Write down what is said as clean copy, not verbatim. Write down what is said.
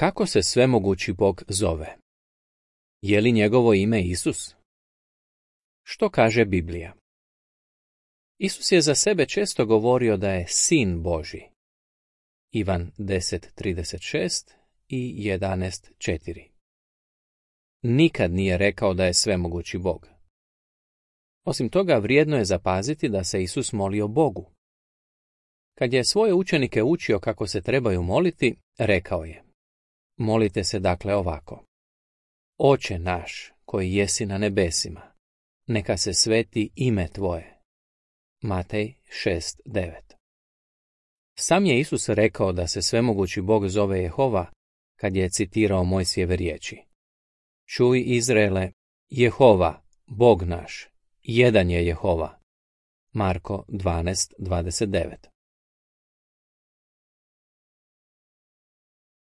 Kako se svemogući Bog zove? Je li njegovo ime Isus? Što kaže Biblija? Isus je za sebe često govorio da je Sin Božji. Ivan 10:36 i 11:4. Nikad nije rekao da je svemogući Bog. Osim toga, vrijedno je zapaziti da se Isus molio Bogu. Kad je svoje učenike učio kako se trebaju moliti, rekao je: Molite se dakle ovako: Oče naš, koji jesi na nebesima, neka se sveti ime tvoje. Matej 6:9. Sam je Isus rekao da se svemogući Bog zove Jehova kad je citirao Mojsijeve riječi: Čuj, Izraele, Jehova, Bog naš, jedan je Jehova. Marko 12:29.